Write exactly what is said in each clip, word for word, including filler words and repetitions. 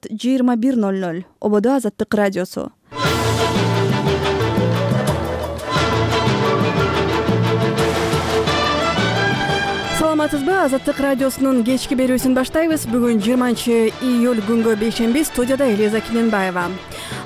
саат жыйырма бир ноль ноль. Ободо Азаттык радиосу. Саламатсызбы? Азаттык радиосунун кечки берүүсүн баштайбыз. Бүгүн жыйырманчы июль күнгө бейшемби. Студияда Элиза Киненбаева.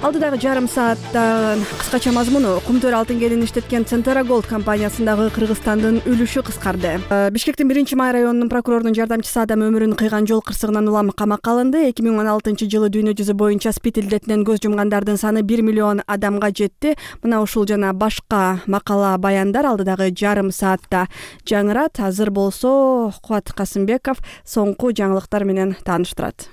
Алдыдагы жарым саатта кыскача мазмуну: Кумтөр алтын кенин иштеткен Центера Голд компаниясындагы Кыргызстандын үлүшү кыскарды. Бишкектин биринчи май районунун прокурорунун жардамчысы адам өмүрүн кыйган жол кырсыгынан улам камакка алынды. эки миң он алтынчы жылы дүйнө жүзү боюнча спид илдетинен көз жумгандардын саны бир миллион адамга жетти. Мына ушул жана башка макала баяндар алдыдагы жарым саатта жаңырат. Азыр болсо Кубат Касымбеков соңку жаңылыктар менен тааныштырат.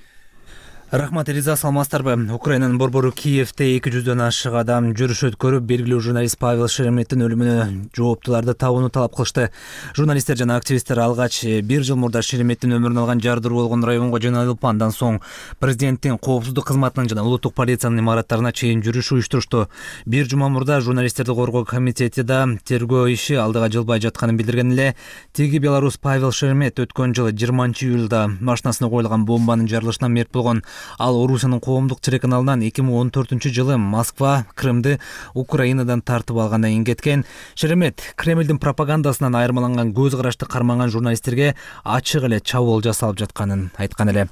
Рахмат, Элиза, саламатсыздарбы? Украинанын борбору Киевте эки жүздөн ашык адам жүрүш өткөрүп, белгилүү журналист Павел Шереметтин өлүмүнө жооптуларды табууну талап кылышты. Журналисттер жана активисттер алгач бир жыл мурда Шереметтин өмүрүн алган жардыруу болгон районго жайылып, андан соң президенттин коопсуздук кызматынын жана улуттук полициянын имараттарына чейин жүрүш уюштурушту. Бир жума мурда журналисттерди коргоо комитети да тергөө иши алдыга жылбай жатканын билдирген эле. Теги белорус Павел Шеремет өткөн жылы жыйырманчы июлда машинасына коюлган бомбанын жарылышынан мерт болгон. Ал Орусиянын коомдук телеканалынан эки миң он төртүнчү жылы Москва Крымды Украинадан тартып алгандан кийин кеткен. Шеремет Кремлдин пропагандасынан айырмаланган, көз карашты карманган журналисттерге ачык эле чабуул жасалып жатканын айткан эле.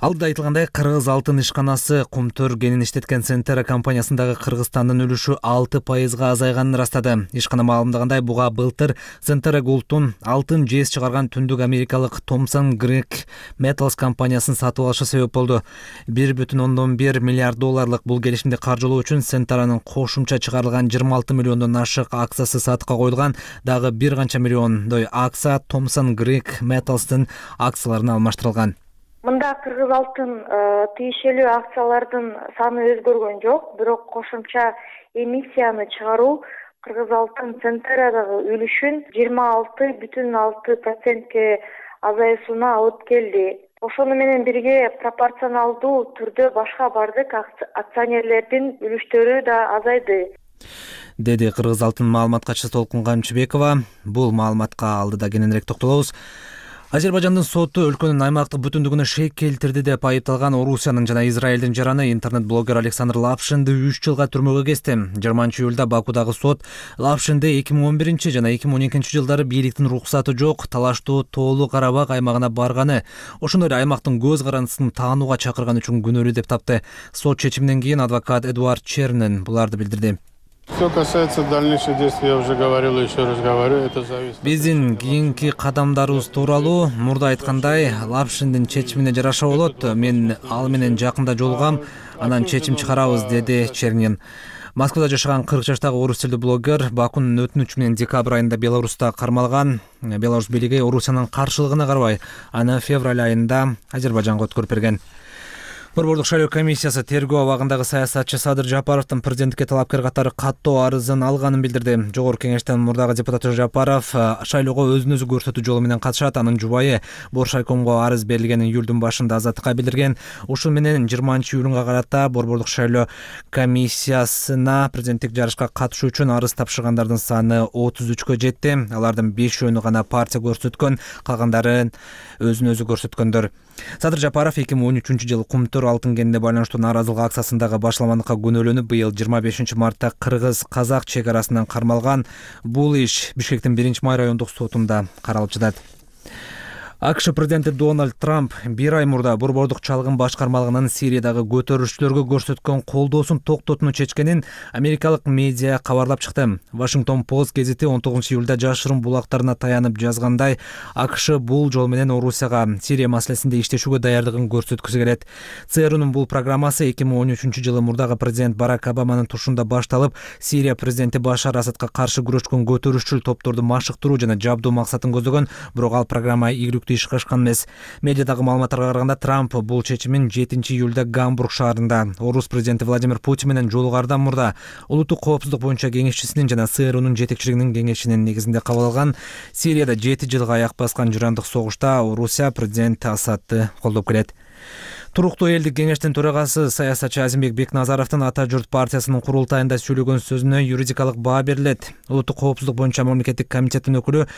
Алдыда айтылгандай, Кыргыз алтын ишканасы Кумтөр кенин иштеткен Центера компаниясындагы Кыргызстандын үлүшү алты пайызга азайганын ырастады. Ишкана маалымдагандай, буга былтыр Центера Голдтун алтын жез чыгарган түндүк америкалык Thomson Greek Metals компаниясын сатып алышы себеп болду. бир бүтүн ондон бир миллиард долларлык бул келишимди каржылоо үчүн Центеранын кошумча чыгарылган жыйырма алты миллиондон ашык акциясы сатыкка коюлган. Дагы бир канча миллиондой акция Thomson Greek Metals'тын акцияларына алмаштырылган. Мында Кыргыз алтын тиешелүү акциялардын саны өзгөргөн жок, бирок кошумча эмиссияны чыгаруу Кыргыз алтын Центерадагы үлүшүн жыйырма алты бүтүн алты процентке азайысына алып келди. Ошону менен бирге пропорционалдуу түрдө башка бардык акционерлердин үлүштөрү да азайды, деди Кыргыз алтын маалымат катчысы Толкун Камчыбекова. Бул маалыматка алдыда кененирээк токтолобуз. Азербайжандын соту өлкөнүн аймактык бүтүндүгүнө шек келтирди деп айыпталган Орусиянын жана Израилдин жараны интернет-блогер Александр Лапшинди үч жылга түрмөгө кести. жыйырманчы июлда Бакудагы сот Лапшинди эки миң он биринчи жана эки миң он экинчи жылдары бийликтин руксаты жок талаштуу Тоолуу Карабак аймагына барганы, ошондой эле аймактын көз карандысын таанууга чакырган үчүн күнөөлүү деп тапты. Сот чечиминен кийин адвокат Эдуард Чернен буларды билдирди. Что касается дальнейших действий, я уже говорил и еще раз говорю, это зависит. Биздин кийинки кадамдарыбыз тууралуу мурда айткандай, Лапшиндин чечимине жараша болот. Мен ал менен жакында жолугам, анан чечим чыгарабыз, деди Чернин. Москвада жашаган кырк жаштагы орус тилдүү блогер Бакунун өтүнүчү менен декабрь айында Беларуста кармалган. Беларусь бийлиги Орусиянын каршылыгына карабай, аны февраль айында Азербайжанга өткөрүп берген. Борбордук шайлоо комиссиясы тергөө абагындагы саясатчы Садыр Жапаровдун президенттикке талапкер катары каттоо арызын алганын билдирди. Жогорку кеңештин мурдагы депутаты Жапаров шайлоого өзүн өзү көрсөтүү жолу менен катышат. Анын жубайы Боршайкомго арыз берилгенин июлдун башында Азаттыкка билдирген. Ушул менен жыйырманчы июлга карата борбордук шайлоо комиссиясына президенттик жарышка катышуу үчүн арыз тапшыргандардын саны отуз үчкө жетти. Алардын бешөөнү гана партия көрсөткөн, калгандары өзүн өзү көрсөткөндөр. Садыр Жапаров эки миң он үчүнчү жылы Кумтөр алтын кенине байланыштуу нааразылык акциясындагы башламандыкка күнөөлөнүп, быйыл жыйырма бешинчи мартта Кыргыз-Казак чек арасынан кармалган. Бул иш Бишкектин биринчи май райондук сотунда каралып жатат. АКШ президенти Дональд Трамп бир ай мурда борбордук чалгын башкармалыгынын Сириядагы көтөрүлүштөргө көрсөткөн колдоосун токтотууну чечкенин америкалык медиа кабарлап чыкты. Washington Post гезити он тогузунчу июлда жашырын булактарына таянып жазгандай, АКШ бул жол менен Орусияга Сирия маселесинде иштешүүгө даярдыгын көрсөткүсү келет. ЦРУнун бул программасы эки миң он үчүнчү жылы мурдагы президент Барак Обаманын тушунда башталып, Сирия президенти Башар Асадка каршы күрөшкөн көтөрүшчүл топторду машыктыруу жана жабдуу максатын көздөгөн, бирок ал программа ийгиликтүү ишке ашкан эмес. Медиадагы маалыматтарга караганда, Трамп бул чечимин жетинчи июлда Гамбург шаарында Орус президенти Владимир Путин менен жолугардан мурда улуттук коопсуздук боюнча кеңешчисинин жана ЦРУнун жетекчилигинин кеңешинин негизинде кабыл алган. Сирияда жети жылга аяк баскан жырандык согушта Орусия президент Асадты колдоп келет. Туруктуу элдик кеңештин төрагасы саясатчы Азимбек Бекназаровдун Ата журт партиясынын курултайында сүйлөгөн сөзүнө юридикалык баа берилет. Улуттук коопсуздук боюнча мамлекеттик комитеттин өкүлү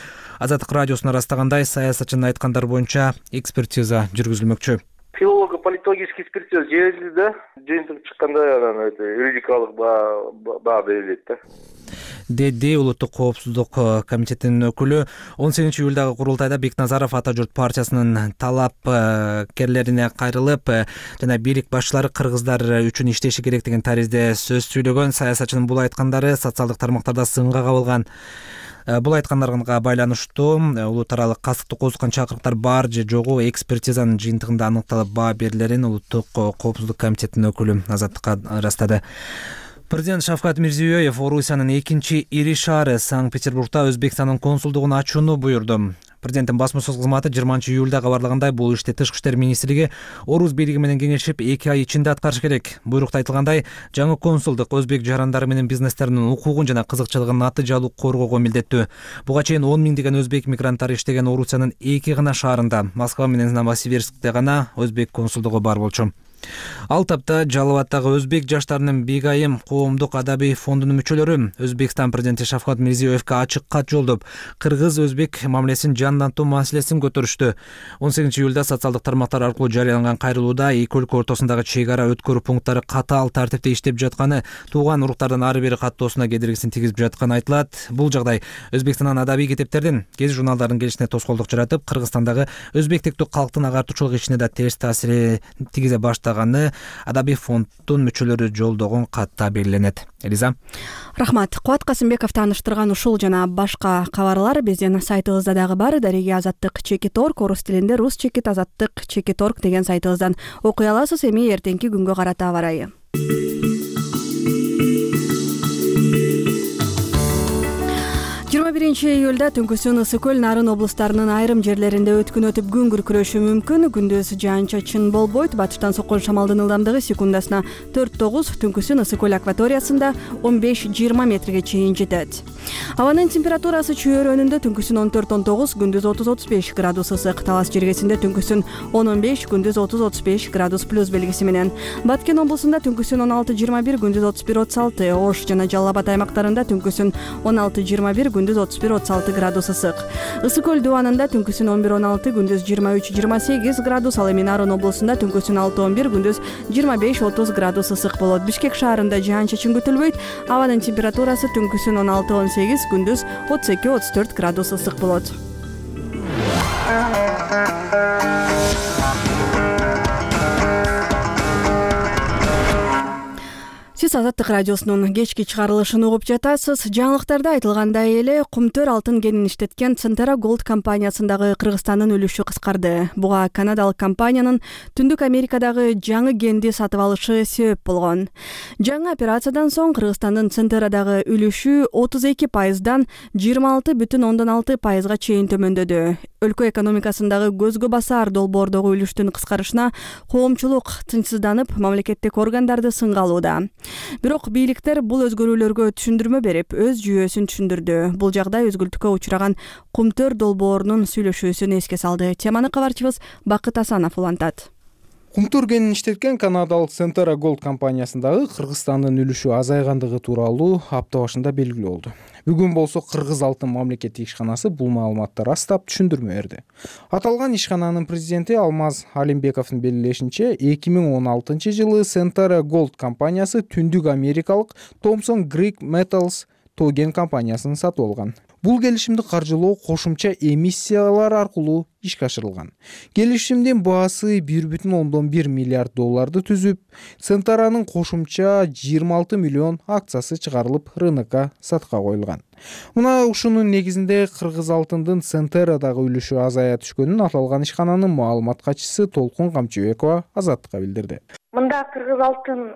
Азаттык радиосуна ырастагандай, саясатчынын айткандары боюнча экспертиза жүргүзүлмөкчү. филолого политологический экспертиза жиберилди да, жыйынтык чыкканда анан юридикалык баа берилет да, деди улуттук коопсуздук комитетинин өкүлү. он сегизинчи июлдагы курултайда Бекназаров Ата журт партиясынын талапкерлерине кайрылып жана бийлик башчылары кыргыздар үчүн иштеши керек деген таризде сөз сүйлөгөн. Саясатчынын бул айткандары социалдык тармактарда сынга кабылган. Бул айткандарга байланыштуу улут аралык касыктык козуткан чакырыктар бар же жогу экспертизанын жыйынтыгында аныкталып баа берилерин улуттук коопсуздук комитетинин өкүлү Азаттыкка ырастады. Президент Шавкат Мирзиёев Орусиянын экинчи ири шаары Санкт-Петербургда Өзбекстандын консулдугун ачууну буйрду. Президенттин басма-сөз кызматы жыйырманчы июлда кабарлагандай, бул ишти Тышкы иштер министрлиги Орус бийлиги менен кеңешип эки ай ичинде аткарыш керек. Буйрукта айтылгандай, жаңы консулдук өзбек жарандары менен бизнестеринин укугун жана кызыкчылыгын натыйжалуу коргоого милдеттүү. Буга чейин он миңдеген өзбек мигранттары иштеген Орусиянын эки гана шаарында, Москва менен Новосибирскте гана өзбек консулдугу бар болчу. Ал тапта Жалал Абаддагы өзбек жаштарынын бийгайым коомдук адабий фондунун мүчөлөрү Өзбекстан президенти Шавкат Мирзиёевке ачык кат жолдоп, кыргыз-өзбек мамилесин жандантуу маселесин көтөрүштү. он сегизинчи июлда социалдык тармактар аркылуу жарыяланган кайрылууда эки өлкө ортосундагы чек ара өткөрүү пункттары катаал тартипте иштеп жатканы, тууган уруктардан ары бери каттоосуна кедергисин тийгизип жатканы айтылат. Бул жагдай Өзбекстандын адабий китептердин, гезит журналдардын келишине тоскоолдук жаратып, Кыргызстандагы өзбек типтүү калктын агартуучулук ишине да терс таасир тийгизе баштаган адабий фонддун мүчөлөрү жолдогон катта белгиленет. Элиза. Рахмат. Кубат Касымбеков тааныштырган ушул жана башка кабарлар биздин сайтыбызда дагы бар. Дареги Азаттык чекит точка орг, орус тилинде рус чекит азаттык чекит точка орг деген сайтыбыздан окуй аласыз. Эми эртеңки күнгө карата аба ырайы. жыйырма биринчи июлда Түнкүсүн, Ысык көл, Нарын облустарынын айрым жерлеринде өткүн өтүп күн күркүрөшү мүмкүн. Күндүз жаан-чачын болбойт. Батыштан соккон шамалдын ылдамдыгы секундасына төрт тогуз, Түнкүсүн, Ысык көл акваториясында он беш жыйырма метрге чейин жетет. Абанын температурасы чөйрөнүндө Түнкүсүн он төрт он тогуз, күндүз отуз отуз беш градус ысык. Талас жергесинде Түнкүсүн он он беш, күндүз отуз отуз беш градус плюс белгиси менен. Баткен облусунда Түнкүсүн он алты жыйырма бир, күндүз отуз бир отуз алты. Ош жана Жалал Абад аймактарында Түнкүсүн он алты жыйырма бир, күндүз отуз бир отуз алты градус ысык. Ысык көл дубанында Түнкүсүн он бир он алты, күндүз жыйырма үч жыйырма сегиз градус. Ал эми Нарын облусунда Түнкүсүн алты он бир, күндүз жыйырма беш отуз градус ысык болот. Бишкек шаарында жаан-чачын күтүлбөйт. Абанын температурасы Түнкүсүн он алты он сегиз, күндүз отуз эки отуз төрт градус ысык болот. Сиз Азаттык радиосунун кечки чыгарылышын угуп жатасыз. Жаңылыктарда айтылгандай эле Кумтөр алтын кенин иштеткен Центера Голд компаниясындагы Кыргызстандын үлүшү кыскарды. Буга канадалык компаниянын Түндүк Америкадагы жаңы кенди сатып алышы себеп болгон. Жаңы операциядан соң Кыргызстандын Центерадагы үлүшү отуз эки пайыздан жыйырма алты бүтүн ондон алты пайызга чейин төмөндөдү. Өлкө экономикасындагы көзгө басар долбоордогу үлүштүн кыскарышына коомчулук тынчсызданып, мамлекеттик органдарды сынга алууда. Бирок бийликтер бул өзгөрүүлөргө түшүндүрмө берип, өз жүйөсүн түшүндүрдү. Бул жагдай өзгүлтүккө учураган Кумтөр долбоорунун сүйлөшүүсүн эске салды. Теманы кабарчыбыз Бакыт Асанов улантат. Кумтөр кенин иштеткен канадалык Центера Голд компаниясындагы Кыргызстандын үлүшү азайгандыгы тууралуу апта башында белгилүү болду. Бүгүн болсо Кыргыз алтын мамлекеттик ишканасы бул маалыматты растап түшүндүрмө берди. Аталган ишкананын президенти Алмаз Алимбековдун белгилешинче, эки миң он алтынчы жылы Центера Голд компаниясы түндүк америкалык Thomson Greek Metals тоген компаниясын сатып алган. Бул келишимди каржылоо кошумча эмиссиялар аркылуу ишке ашырылган. Келишимдин баасы бир бүтүн ондон бир миллиард долларды түзүп, Центеранын кошумча жыйырма алты миллион акциясы чыгарылып, рынокко сатка коюлган. Мына ушунун негизинде Кыргыз алтындын Центерадагы үлүшү азая түшкөнүн аталган ишкананын маалымат катчысы Толкун Камчыбекова Азаттыкка билдирди. Мында Кыргыз алтын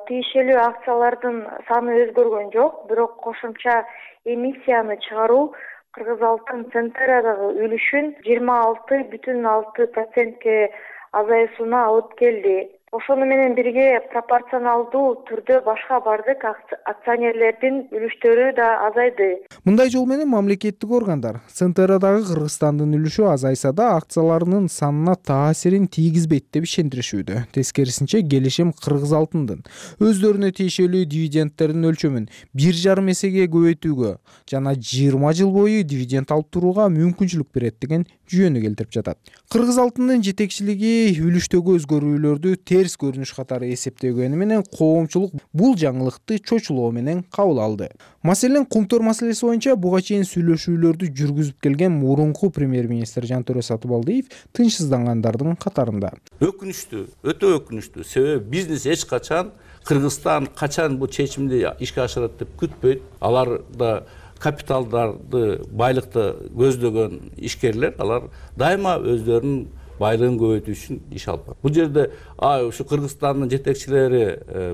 тиешелүү акциялардын саны өзгөргөн жок, бирок кошумча эмиссияны чыгаруу Кыргыз алтын Центерадагы үлүшүн жыйырма алты бүтүн алты процентке азайысына алып келди. Ошону менен бирге пропорционалдуу түрдө башка бардык акционерлердин үлүштөрү да азайды. Мындай жол менен мамлекеттик органдар Центерадагы Кыргызстандын үлүшү азайса да акцияларынын санына таасирин тийгизбейт деп ишендиришүүдө. Тескерисинче, келишим Кыргыз алтындын өздөрүнө тиешелүү дивидендтердин өлчөмүн бир жарым эсеге көбөйтүүгө жана жыйырма жыл бою дивиденд алып турууга мүмкүнчүлүк берет деген жүйөнү келтирип жатат. Кыргыз алтындын жетекчилиги үлүштөгү өзгөрүүлөрдү терс көрүнүш катары эсептегени менен коомчулук бул жаңылыкты чочулоо менен кабыл алды. Маселен, Кумтөр маселеси боюнча буга чейин сүйлөшүүлөрдү жүргүзүп келген мурунку премьер-министр Жантөре Сатыбалдиев тынчсыздангандардын катарында. Өкүнүчтүү, өтө өкүнүчтүү. Себеби бизнес эч качан Кыргызстан качан бул чечимди ишке ашырат деп күтпөйт. Алар да капиталдарды, байлыкты көздөгөн ишкерлер, алар дайыма өздөрүнүн байлыгын көбөйтүү үчүн иш алып барат. Бул жерде ушу Кыргызстандын жетекчилери,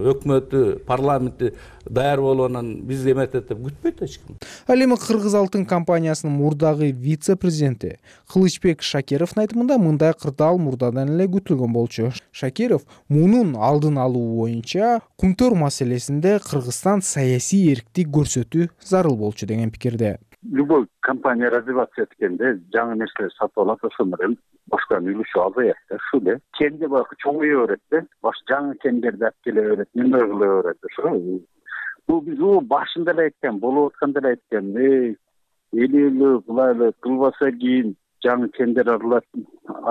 өкмөтү, парламенти даяр болгондон биз эметет деп күтпөйт эч ким. Ал эми Кыргыз алтын компаниясынын мурдагы вице-президенти Кылычбек Шакировдун айтымында мындай кырдаал мурдадан эле күтүлгөн болчу. Шакиров мунун алдын алуу боюнча Кумтөр маселесинде Кыргызстан саясий эрктик көрсөтүү зарыл болчу деген пикирде. Любой компания развиваться эткенде жаңы нерселер сатып алат, ошол менен башканын үлүшү азаят да, ушул эле. Кенде бак чоңое берет да, баш жаңы кендерди алып келе берет, неме кыла берет ошо. Бул биз о башында эле айткан, болуп атканда эле айткан, эй, эле булай эле кылбаса кийин жаңы кендер аралап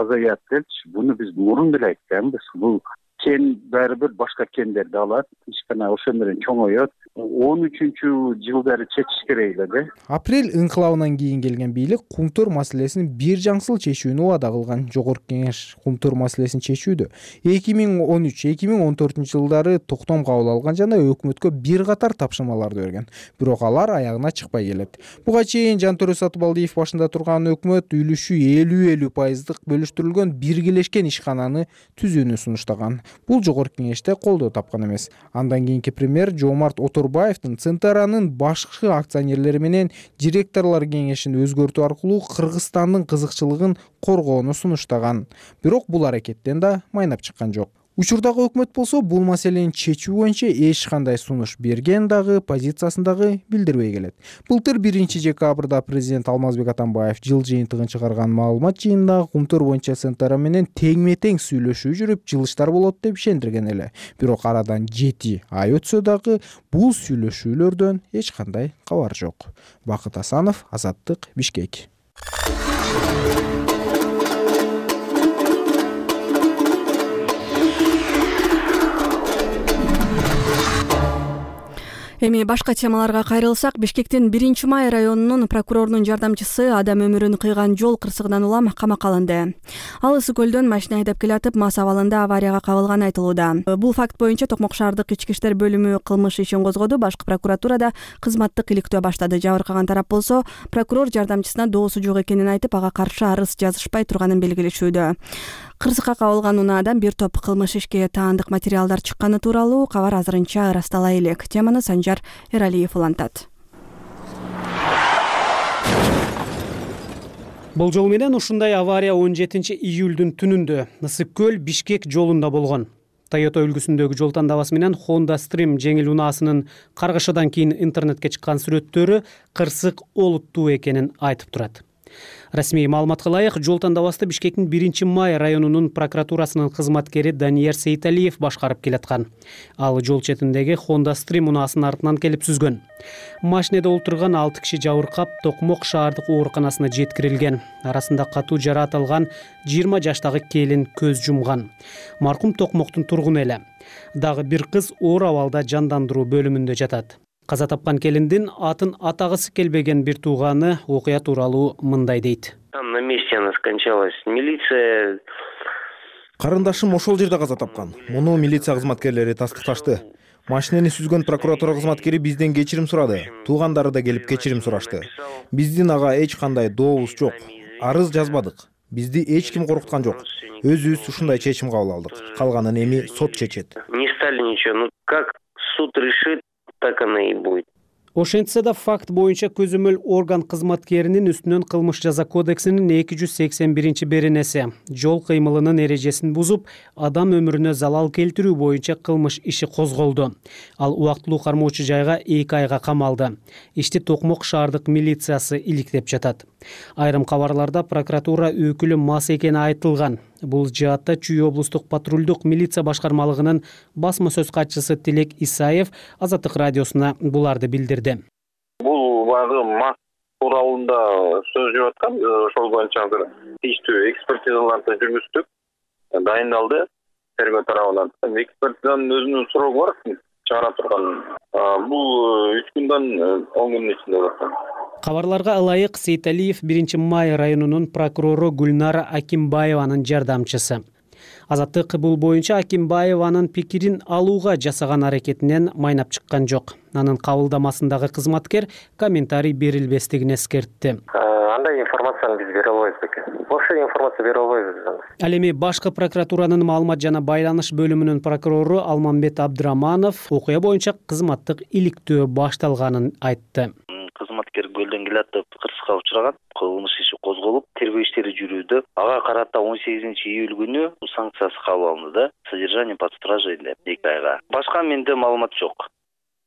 азаят депчи, буну биз мурун эле айтканбыз. Бул кен баары бир башка кендерди алат, ишкана ошо менен чоңоет. он үчүнчү жылдары чечиш керек эле да. Апрель инкылабынан кийин келген бийлик Кумтөр маселесин бир жаңсыл чечүүнү убада кылган. Жогорку кеңеш Кумтөр маселесин чечүүдө эки миң он үч эки миң он төртүнчү жылдары токтом кабыл алган жана өкмөткө бир катар тапшырмаларды берген. Бирок алар аягына чыкпай келет. Буга чейин Жантөре Сатыбалдиев башында турган өкмөт үлүшү элүү элүү пайыздык бөлүштүрүлгөн биргелешкен ишкананы түзүүнү сунуштаган. Бул жогорку кеңеште колдоо тапкан эмес. Андан кийинки премьер Жомарт Оторбаевдин Центаранын башкы акционерлери менен директорлор кеңешин өзгөртүү аркылуу Кыргызстандын кызыкчылыгын коргоону сунуштаган. Бирок бул аракеттен да майнап чыккан жок. Учурдагы өкмөт болсо бул маселени чечүү боюнча эч кандай сунуш берген дагы, позициясын дагы билдирбей келет. Былтыр биринчи декабрда президент Алмазбек Атамбаев жыл жыйынтыгын чыгарган маалымат жыйынында Кумтөр боюнча Центара менен теңме-тең сүйлөшүү жүрүп, жылыштар болот деп ишендирген эле. Бирок арадан жети ай өтсө дагы бул сүйлөшүүлөрдөн эч кандай кабар жок. Бакыт Асанов, Азаттык, Бишкек. Эми башка темаларга кайрылсак, Бишкектин биринчи май районунун прокурорунун жардамчысы адам өмүрүн кыйган жол кырсыгынан улам камакка алынды. Ал Ысык көлдөн машина айдап келатып, мас абалында аварияга кабылганы айтылууда. Бул факт боюнча Токмок шаардык ички иштер бөлүмү кылмыш ишин козгоду, башкы прокуратурада кызматтык иликтөө баштады. Жабыркаган тарап болсо, прокурор жардамчысына доосу жок экенин айтып, ага каршы арыз жазышпай турганын белгилешүүдө. Кырсыкка кабылган унаадан бир топ кылмыш ишке таандык материалдар чыкканы тууралуу кабар азырынча ырастала элек. Теманы Санжар Эралиев улантат. Болжол менен ушундай авария он жетинчи июлдун түнүндө Ысык көл Бишкек жолунда болгон. Toyota үлгүсүндөгү жол тандабасы менен Honda Stream жеңил унаасынын каргышадан кийин интернетке чыккан сүрөттөрү кырсык олуттуу экенин айтып турат. Расмий маалыматка ылайык, жол тандабасты Бишкектин биринчи май районунун прокуратурасынын кызматкери Данияр Сейталиев башкарып келаткан. Ал жол четиндеги Honda Stream унаасынын артынан келип сүзгөн. Машинеде олтурган алты киши жабыркап Токмок шаардык ооруканасына жеткирилген. Арасында катуу жараат алган жыйырма жаштагы келин көз жумган. Маркум Токмоктун тургуну эле. Дагы бир кыз оор абалда жандандыруу бөлүмүндө жатат. Каза тапкан келиндин атын атагысы келбеген бир тууганы окуя тууралуу мындай дейт. Там на месте она скончалась. Милиция. Карындашым ошол жерде каза тапкан. Муну милиция кызматкерлери тастыкташты. Машинени сүзгөн прокуратура кызматкери бизден кечирим сурады. Туугандары да келип кечирим сурашты. Биздин ага эч кандай дообуз жок. Арыз жазбадык. Бизди эч ким коркуткан жок. Өзүбүз ушундай чечим кабыл алдык. Калганын эми сот чечет. Не стали ничего. Ну как суд решит, так оно и будет. Ошентсе да факт боюнча көзөмөл орган кызматкеринин үстүнөн кылмыш жаза кодексинин эки жүз сексен биринчи беренеси жол кыймылынын эрежесин бузуп, адам өмүрүнө залал келтирүү боюнча кылмыш иши козголду. Ал убактылуу кармоочу жайга эки айга камалды. Ишти Токмок шаардык милициясы иликтеп жатат. Айрым кабарларда прокуратура өкүлү мас экени айтылган. Бул жаатта Чүй облустук патрулдук милиция башкармалыгынын басма сөз катчысы Тилек Исаев Азаттык радиосуна буларды билдирди. Бул убагы мас тууралуунда сөз жүрүп аткан. Ошол боюнча азыр тийиштүү экспертизаларды жүргүздүк, дайындалды тергөө тарабынан. Экспертизанын өзүнүн срогу бар, чыгара турган. Бул үч күндөн он күндүн ичинде болот. Кабарларга ылайык Сейталиев биринчи май районунун прокурору Гүлнара Акимбаеванын жардамчысы. Азаттык бул боюнча Акимбаеванын пикирин алууга жасаган аракетинен майнап чыккан жок. Анын кабылдамасындагы кызматкер комментарий берилбестигин эскертти. Андай информацияны биз бере албайбыз экен. Ошо информация бере албайбыз. Ал эми башкы прокуратуранын маалымат жана байланыш бөлүмүнүн прокурору Алмамбет Абдыраманов окуя боюнча кызматтык иликтөө башталганын айтты. Кызматкер көлдөн келатып кырсыкка учураган, кылмыш иши козголуп, тергөө иштери жүрүүдө. Ага карата он сегизинчи июль күнү санкциясы кабыл алынды да, содержание под стражей деп эки айга. Башка менде маалымат жок.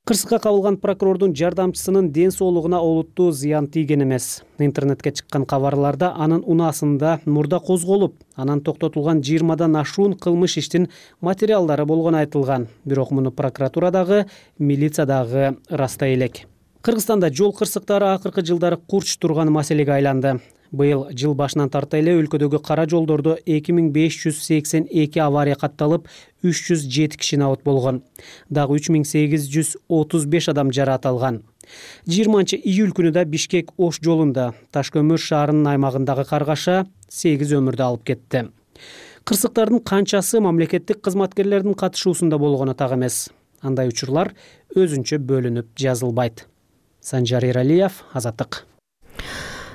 Кырсыкка кабылган прокурордун жардамчысынын ден соолугуна олуттуу зыян тийген эмес. Интернетке чыккан кабарларда анын унаасында мурда козголуп, анан токтотулган жыйырмадан ашуун кылмыш иштин материалдары болгону айтылган. Бирок муну прокуратурадагы, милициядагы ырастай элек. Кыргызстанда жол кырсыктары акыркы жылдары курч турган маселеге айланды. Быйыл жыл башынан тарта эле өлкөдөгү кара жолдордо эки миң беш жүз сексен эки авария катталып, үч жүз жети киши набыт болгон. Дагы үч миң сегиз жүз отуз беш адам жараат алган. жыйырманчы июль күнү да Бишкек Ош жолунда Ташкөмүр шаарынын аймагындагы каргаша сегиз өмүрдү алып кетти. Кырсыктардын канчасы мамлекеттик кызматкерлердин катышуусунда болгону так эмес. Андай учурлар өзүнчө бөлүнүп жазылбайт. Санжар Иралиев, Азаттык.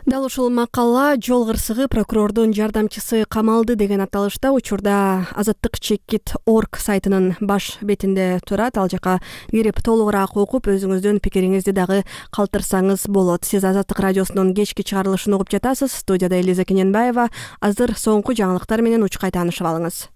Дал ушул макала жол кырсыгы прокурордун жардамчысы камалды деген аталышта учурда Азаттык чекит орг сайтынын баш бетинде турат. Ал жака кирип толугураак окуп, өзүңүздүн пикириңизди дагы калтырсаңыз болот. Сиз Азаттык радиосунун кечки чыгарылышын угуп жатасыз. Студияда Элиза Кененбаева. Азыр соңку жаңылыктар менен учкай таанышып алыңыз.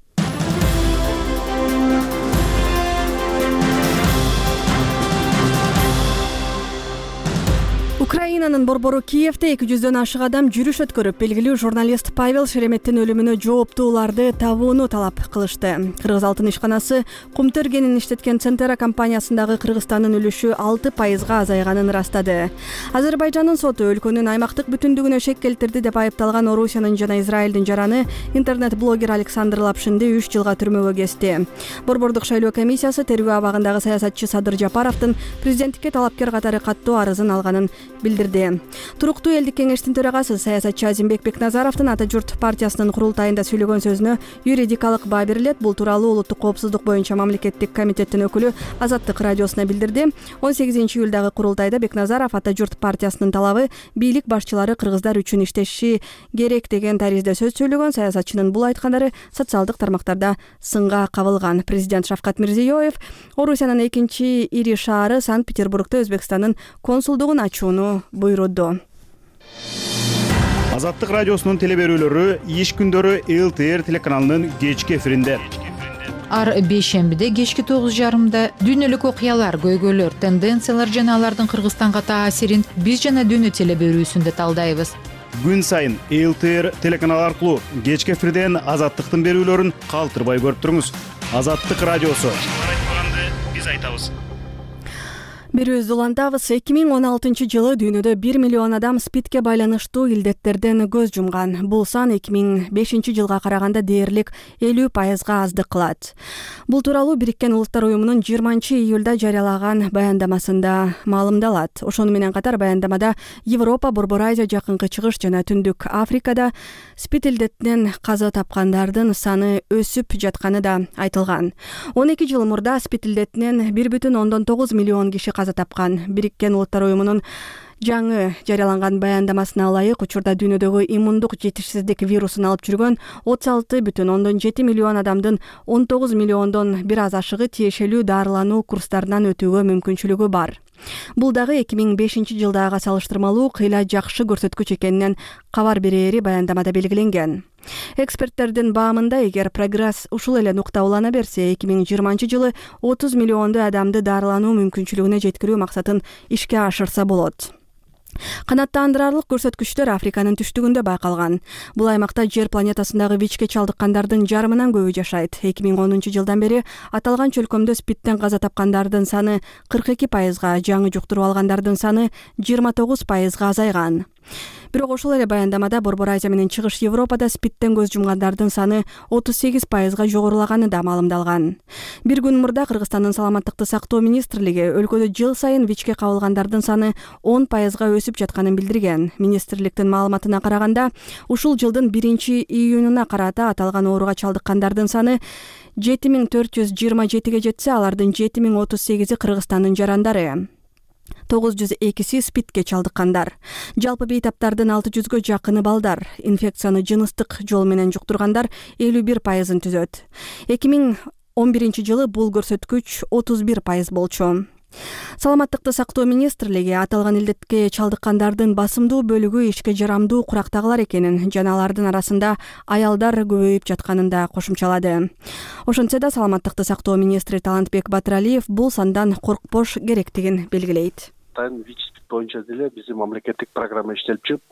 Украинанын борбору Киевде эки жүздөн ашык адам жүрүш өткөрүп, белгилүү журналист Павел Шереметтин өлүмүнө жооптууларды табууну талап кылышты. Кыргыз алтын ишканасы кумтөргенин иштеткен Центера компаниясындагы Кыргызстандын үлүшү алты пайызга азайганын ырастады. Азербайжандын соту өлкөнүн аймактык бүтүндүгүнө шек келтирди деп айыпталган Орусиянын жана Израилдин жараны интернет-блогер Александр Лапшинди үч жылга түрмөгө кести. Борбордук шайлоо комиссиясы тергөө абагындагы саясатчы Садыр Жапаровдун президенттикке талапкер катары каттуу арызын алганын билдирди. Туруктуу элдик кеңештин төрагасы саясатчы Азимбек Бекназаровдун Ата журт партиясынын курултайында сөйлөгөн сөзүнө юридикалык баа берилет. Бул тууралуу улуттук коопсуздук боюнча мамлекеттик комитеттин өкүлү Азаттык радиосуна билдирди. он сегизинчи июлдагы курултайда Бекназаров Ата журт партиясынын талабы бийлик башчылары кыргыздар үчүн иштеши керек деген таризде сөз сүйлөгөн. Саясатчынын бул айткандары социалдык тармактарда сынга кабылган. Президент Шавкат Мирзиёев Орусиянын экинчи ири шаары Санкт-Петербургда Өзбекстандын консулдугун ачууну буйруду. Азаттык радиосунун телеберүүлөрү иш күндөрү эл тэ эр телеканалынын кечки эфиринде. Ар бейшембиде кечки тогуз жарымда дүйнөлүк окуялар, көйгөйлөр, тенденциялар жана алардын Кыргызстанга таасирин биз жана дүйнө телеберүүсүндө талдайбыз. Күн сайын эл тэ эр телеканалы аркылуу кечки эфирден Азаттыктын берүүлөрүн калтырбай көрүп туруңуз. Азаттык радиосу. Биз айтабыз. Берүүбүздү улантабыз. эки миң он алтынчы жылы дүйнөдө бир миллион адам спидке байланыштуу илдеттерден көз жумган. Бул сан эки миң бешинчи жылга караганда дээрлик элүү пайызга аздык кылат. Бул тууралуу Бириккен Улуттар уюмунун жыйырманчы июлда жарыялаган баяндамасында маалымдалат. Ошону менен катар баяндамада Европа, Борбор Азия, Жакынкы Чыгыш жана Түндүк Африкада спид илдетинен каза тапкандардын саны өсүп жатканы да айтылган. он эки жыл мурда спид илдетинен бир бүтүн ондон тогуз миллион киши каза тапкан. Бириккен Улуттар уюмунун жаңы жарыяланган баяндамасына ылайык учурда дүйнөдөгү иммундук жетишсиздик вирусун алып жүргөн отуз алты бүтүн ондон жети миллион адамдын он тогуз миллиондон бир аз ашыгы тиешелүү дарылануу курстарынан өтүүгө мүмкүнчүлүгү бар. Бул дагы эки миң бешинчи жылдагыга салыштырмалуу кыйла жакшы көрсөткүч экенинен кабар берери баяндамада белгиленген. Эксперттердин баамында, эгер прогресс ушул эле нукта улана берсе, эки миң жыйырманчы жылы отуз миллионду адамды дарылануу мүмкүнчүлүгүнө жеткирүү максатын ишке ашырса болот. Канааттандырарлык көрсөткүчтөр Африканын түштүгүндө байкалган. Бул аймакта жер планетасындагы ВИЧке чалдыккандардын жарымынан көбү жашайт. эки миң онунчу жылдан бери аталган чөлкөмдө СПИДтен каза тапкандардын саны кырк эки пайызга, жаңы жуктуруп алгандардын саны жыйырма тогуз пайызга азайган. Бирок ошол эле баяндамада Борбор Азия менен Чыгыш Европада СПИДтен көз жумгандардын саны отуз сегиз пайызга жогорулаганы да маалымдалган. Бир күн мурда Кыргызстандын саламаттыкты сактоо министрлиги өлкөдө жыл сайын ВИЧке кабылгандардын саны он пайызга өсүп жатканын билдирген. Министрликтин маалыматына караганда, ушул жылдын биринчи июнуна карата аталган ооруга чалдыккандардын саны жети миң төрт жүз жыйырма жетиге жетсе, алардын жети миң отуз сегизи Кыргызстандын жарандары. тогуз жүз экиси СПИДке чалдыккандар. Жалпы бейтаптардын алты жүзгө жакыны балдар. Инфекцияны жыныстык жол менен жуктургандар элүү бир пайызын түзөт. эки миң он биринчи жылы бул көрсөткүч отуз бир пайыз болчу. Саламаттыкты сактоо министрлиги аталган илдетке чалдыккандардын басымдуу бөлүгү ишке жарамдуу курактагылар экенин жана алардын арасында аялдар көбөйүп жатканын да кошумчалады. Ошентсе да саламаттыкты сактоо министри Талантбек Батыралиев бул сандан коркпош керектигин белгилейт. ВИЧ боюнча деле биздин мамлекеттик программа иштелип чыгып,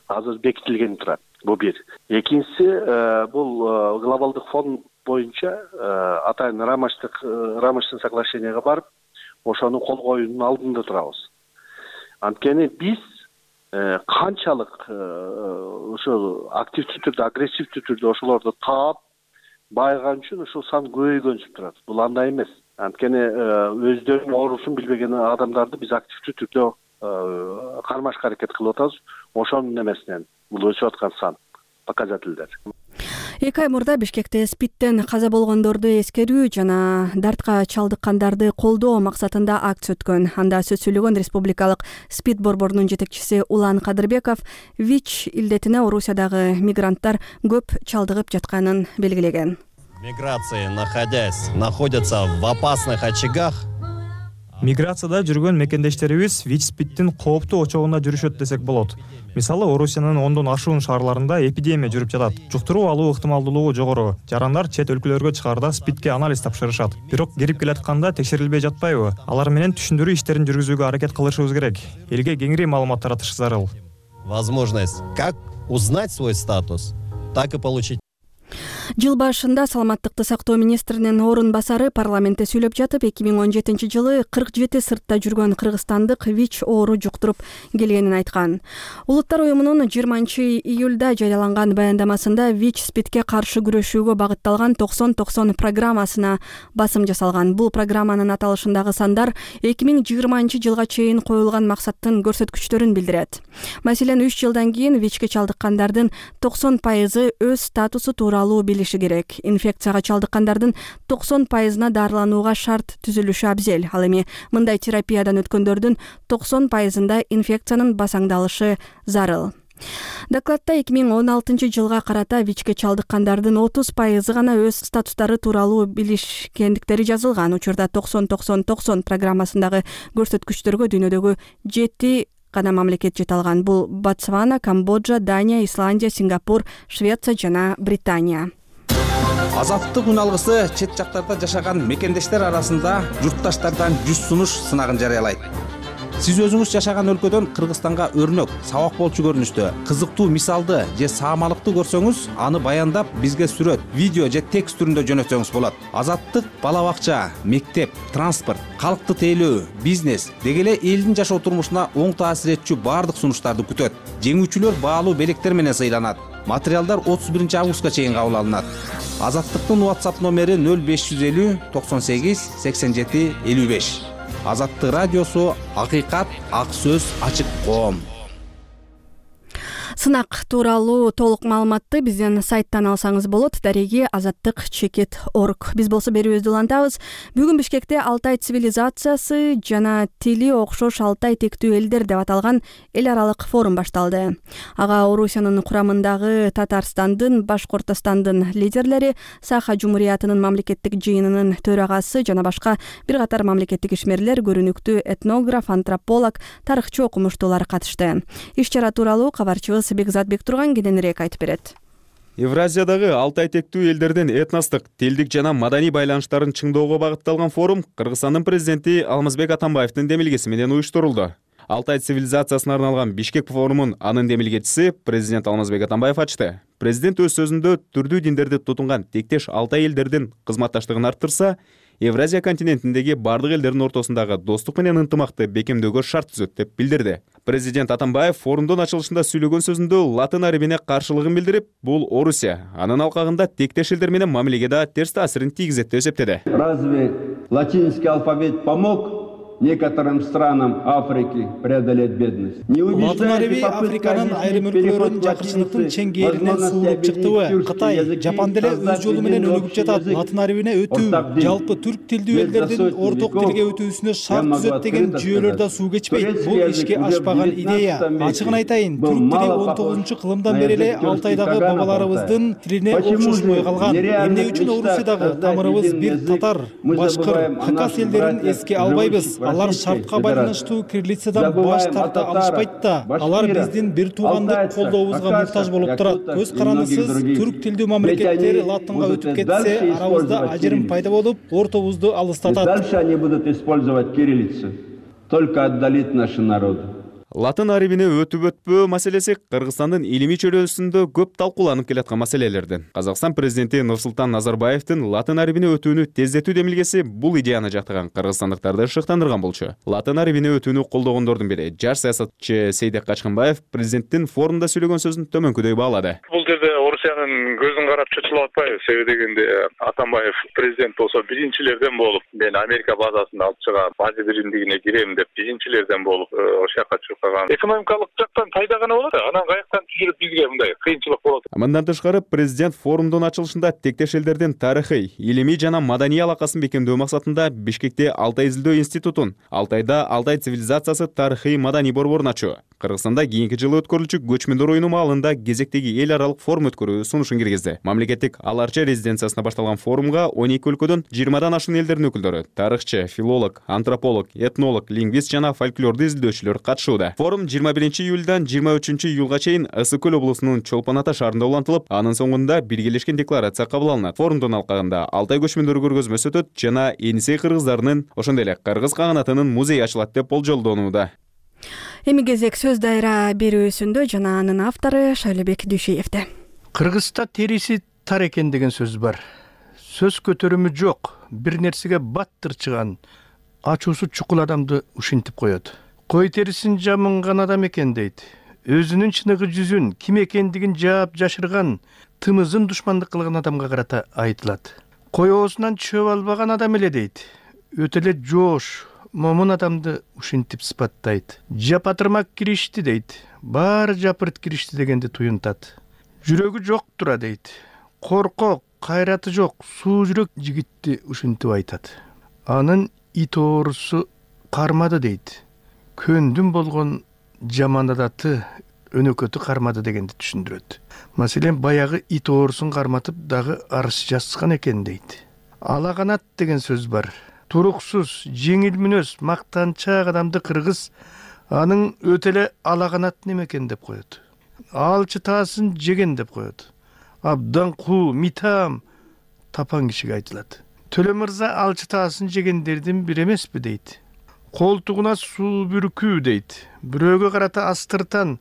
азыр бекитилген турат. Бул бир. Экинчиси, бул глобалдык фонд боюнча атайын рамочтык рамочный соглашениеге барып, ошону кол коюунун алдында турабыз. Анткени биз канчалык ошол активдүү түрдө, агрессивдүү түрдө ошолорду таап байыган үчүн ушул сан көбөйгөнсүп турат. Бул андай эмес. Анткени өздөрүнүн оорусун билбеген адамдарды биз активдүү түрдө кармашка аракет кылып атабыз. Ошонун эмесинен бул өсүп аткан сан показательдер. Эки ай мурда Бишкекте СПИДтен каза болгондорду эскерүү жана дартка чалдыккандарды колдоо максатында акция өткөн. Анда сөз сүйлөгөн республикалык СПИД борборунун жетекчиси Улан Кадырбеков ВИЧ илдетине Орусиядагы мигранттар көп чалдыгып жатканын белгилеген. Миграции, находясь, находятся в опасных очагах. Миграцияда жүргөн мекендештерибиз ВИЧ-СПИДтин кооптуу очогунда жүрүшөт десек болот. Мисалы, Орусиянын ондон ашуун шаарларында эпидемия жүрүп жатат. Жуктуруу алуу ыктымалдуулугу жогору. Жарандар чет өлкөлөргө чыгаарда СПИДке анализ тапшырышат. Бирок кирип келатканда текшерилбей жатпайбы? Алар менен түшүндүрүү иштерин жүргүзүүгө аракет кылышыбыз керек. Элге кеңири маалымат таратыш зарыл. Возможность как узнать свой статус, так и получить. Жыл башында саламаттыкты сактоо министринин орун басары парламентте сүйлөп жатып, эки миң он жетинчи жылы кырк жети сыртта жүргөн кыргызстандык ВИЧ оору жуктуруп келгенин айткан. Улуттар уюмунун жыйырманчы июлда жарыяланган баяндамасында ВИЧ-СПИДке каршы күрөшүүгө багытталган токсон токсон программасына басым жасалган. Бул программанын аталышындагы сандар эки миң жыйырманчы жылга чейин коюлган максаттын көрсөткүчтөрүн билдирет. Маселен, үч жылдан кийин ВИЧке чалдыккандардын токсон пайызы өз статусу тууралуу билиши керек. Инфекцияга чалдыккандардын токсон пайызына дарыланууга шарт түзүлүшү абзел. Ал эми мындай терапиядан өткөндөрдүн токсон пайызында инфекциянын басаңдалышы зарыл. Докладта эки миң он алтынчы жылга карата ВИЧке чалдыккандардын отуз пайызы гана өз статустары тууралуу билишкендиктери жазылган. Учурда токсон токсон токсон программасындагы көрсөткүчтөргө дүйнөдөгү жети гана мамлекет жете алган. Бул Ботсвана, Камбоджа, Дания, Исландия, Сингапур, Швеция жана Британия. Азаттык күн алгысы чет жактарда жашаган мекендештер арасында журтташтардан жүз сунуш сынагын жарыялайт. Сиз өзүңүз жашаган өлкөдөн Кыргызстанга өрнөк, сабак болчу көрүнүштө, кызыктуу мисалды же саамалыкты көрсөңүз, аны баяндап бизге сүрөт, видео же текст түрүндө жөнөтсөңүз болот. Азаттык бала бакча, мектеп, транспорт, калкты тейлөө, бизнес деги эле элдин жашоо турмушуна оң таасир этчү баардык сунуштарды күтөт. Жеңүүчүлөр баалуу белектер менен сыйланат. Материалдар отуз биринчи августка чейин кабыл алынат. Азаттыктын WhatsApp номери нөл беш жүз элүү токсон сегиз сексен жети элүү беш. Азаттык радиосу, акыйкат, ак сөз, ачык коом. Сынак тууралуу толук маалыматты биздин сайттан алсаңыз болот. Дареги азаттык чекит точка орг. Биз болсо берүүбүздү улантабыз. Бүгүн Бишкекте Алтай цивилизациясы жана тили окшош Алтай тектүү элдер деп аталган эл аралык форум башталды. Ага Орусиянын курамындагы Татарстандын, Башкортостандын лидерлери, Саха Жумуриятынын мамлекеттик жыйынынын төрагасы жана башка бир катар мамлекеттик ишмерлер, көрүнүктүү этнограф, антрополог, тарыхчы окумуштуулар катышты. Иш-чара тууралуу кабарчыбыз Бекзат Бектурган кененирээк айтып берет. Евразиядагы Алтай тектүү элдердин этностук, тилдик жана маданий байланыштарын чыңдоого багытталган форум Кыргызстандын президенти Алмазбек Атамбаевдин демилгеси менен уюштурулду. Алтай цивилизациясына арналган Бишкек форумун анын демилгечиси президент Алмазбек Атамбаев ачты. Президент өз сөзүндө түрдүү диндерди тутунган тектеш Алтай элдердин кызматташтыгын арттырса, Евразия континентиндеги бардык элдердин ортосундагы достук менен ынтымакты бекемдөөгө шарт түзөт деп билдирди. Президент Атамбаев форумдун ачылышында сүйлөгөн сөзүндө латын арабине каршылыгын билдирип, бул Орусия анын алкагында тектеш элдер менен мамилеге да терс таасирин тийгизет деп эсептеди. Разве латинский алфавит помог некоторым странам Африки преодолеть бедность? Латын араби Африканын айрым өлкөлөрүн жакынчылыктын чеңгээлинен суулуп чыктыбы? Кытай, Жапан деле өз жолу менен өнүгүп жатат. Латын арабине өтүү, жалпы түрк тилдүү элдердин орток тилге өтүүсүнө шарт түзөт деген жүйөлөр да суу кечпейт. Бул ишке ашпаган идея. Ачыгын айтайын, түрк тили он тогузунчу кылымдан бери эле Алтайдагы бабаларыбыздын тилине окшошпой калган. Эмне үчүн Орусиядагы тамырыбыз бир татар, башкыр, хакас элдерин эске албайбыз? Алар шартка байланыштуу кириллицадан баш тарта алышпайт да. Алар биздин бир туугандык колдообузга муктаж болуп турат. Көз карандысыз түрк тилдүү мамлекеттер латынга өтүп кетсе, арабызда ажырым пайда болуп, ортобузду алыстатат. Дальше они будут использовать кириллицу, только отдалит наши народы. Латын арабине өтүп өтпөө маселеси Кыргызстандын илимий чөйрөсүндө көп талкууланып келаткан маселелерден. Казакстан президенти Нурсултан Назарбаевдин латын арабине өтүүнү тездетүү демилгеси бул идеяны жактаган кыргызстандыктарды шыктандырган болчу. Латын арабине өтүүнү колдогондордун бири жаш саясатчы Сейдек Качкынбаев президенттин форумда сүйлөгөн сөзүн төмөнкүдөй баалады. Бул жерде Орусиянын көзүн карап чочулуп атпайбыз. Себеби дегенде Атамбаев президент болсо биринчилерден болуп, мен Америка базасында алып чыгам, база биримдигине кирем деп биринчилерден болуп ошол жака чыгып калган. Экономикалык жактан пайда гана болот, анан каяктан түшүрүп бизге мындай кыйынчылык болот. Мындан тышкары президент форумдун ачылышында тектеш элдердин тарыхый, илимий жана маданий алакасын бекемдөө максатында Бишкекте Алтай изилдөө институтун, Алтайда Алтай цивилизациясы тарыхый маданий борборун ачуу, Кыргызстанда кийинки жылы өткөрүлчү көчмөндөр оюну маалында кезектеги эл аралык форум өткөрүү сунушун киргизди. Мамлекеттик Аларча резиденциясында башталган форумга он эки өлкөдөн жыйырмадан ашуун элдердин өкүлдөрү, тарыхчы, филолог, антрополог, этнолог, лингвист жана фольклорду изилдөөчүлөр катышууда. Форум жыйырма биринчи июльдан жыйырма үчүнчү июлга чейин Ысык көл облусунун Чолпон Ата шаарында улантылып, анын соңунда биргелешкен декларация кабыл алынат. Форумдун алкагында Алтай көчмөндөр көргөзмөсү өтөт жана Энисей кыргыздарынын, ошондой эле кыргыз каганатынын музейи ачылат деп болжолдонууда. Эми кезек сөз дайра берүүсүндө жана анын автору Шайлебек Дүйшеевде. Кыргызда териси тар экен деген сөз бар. Сөз көтөрүмү жок, бир нерсеге баттырчыган, ачуусу чукул адамды ушинтип коет. Кой терисин жамынган адам экен дейт. Өзүнүн чыныгы жүзүн, ким экендигин жаап жашырган, тымызын душмандык кылган адамга карата айтылат. Кой оозунан чөп албаган адам эле дейт. Өтө эле жоош, момун адамды ушинтип сыпаттайт. Жапатырмак киришти дейт. Баары жапырт киришти дегенди туюнтат. Жүрөгү жок тура дейт. Коркок, кайраты жок, суу жүрөк жигитти ушинтип айтат. Анын ит оорусу кармады дейт. Көндүм болгон жаман адаты өнөкөтү кармады дегенди түшүндүрөт. Маселен, баягы ит оорусун карматып дагы арыз жазган экен дейт. Алаганат деген сөз бар. Туруксуз, жеңил мүнөз, мактанчаак адамды кыргыз анын өтө эле алаганат неме экен деп коет. Алчы таасын жеген деп коет. Абдан куу, митам тапан кишиге айтылат. Төлө мырза алчы таасын жегендердин бири эмеспи дейт. Колтугуна суу бүркүү дейт. Бирөөгө карата астыртан,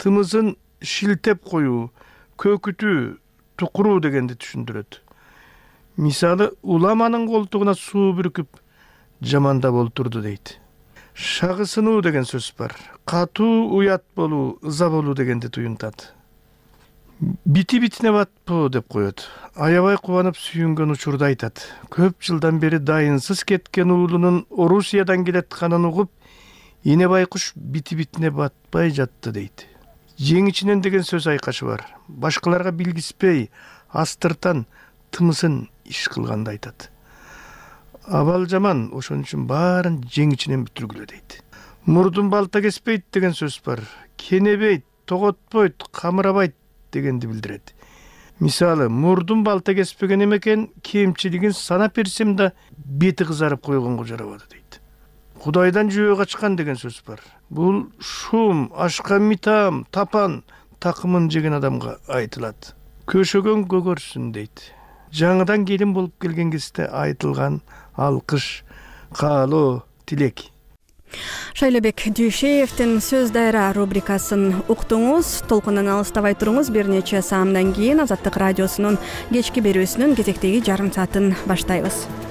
тымызын шилтеп коюу, көкүтүү, тукуруу дегенди түшүндүрөт. Мисалы, уламанын колтугуна суу бүркүп жамандап олтурду дейт. Шагысынуу деген сөз бар. Катуу уят болуу, ыза болуу дегенди туюнтат. Бити битине батпоо деп коет. Аябай кубанып сүйүнгөн учурда айтат. Көп жылдан бери дайынсыз кеткен уулунун Орусиядан келатканын угуп, эне байкуш бити битине батпай жатты дейт. Жеңичинен деген сөз айкашы бар. Башкаларга билгиспей, астыртан тымысын иш кылганды айтат. Абал жаман, ошон үчүн баарын жеңичинен бүтүргүлө дейт. Мурдун балта кеспейт деген сөз бар. Кенебейт, тоготпойт, камырабайт дегенди билдирет. Мисалы, мурдун балта кеспеген эмекен, кемчилигин санап берсем да бети кызарып койгонго жарабады дейт. Кудайдан жөө качкан деген сөз бар. Бул шум, ашка митам, тапан, такымын жеген адамга айтылат. Көшөгөн көгөрсүн дейт. Жаңыдан келин болуп келген кезде айтылган алкыш, каалоо, тилек. Шайлебек Дүйшеевдин сөз дайра рубрикасын уктуңуз. Толкундан алыстабай туруңуз. Бир нече саамдан кийин Азаттык радиосунун кечки берүүсүнүн кезектеги жарым саатын баштайбыз.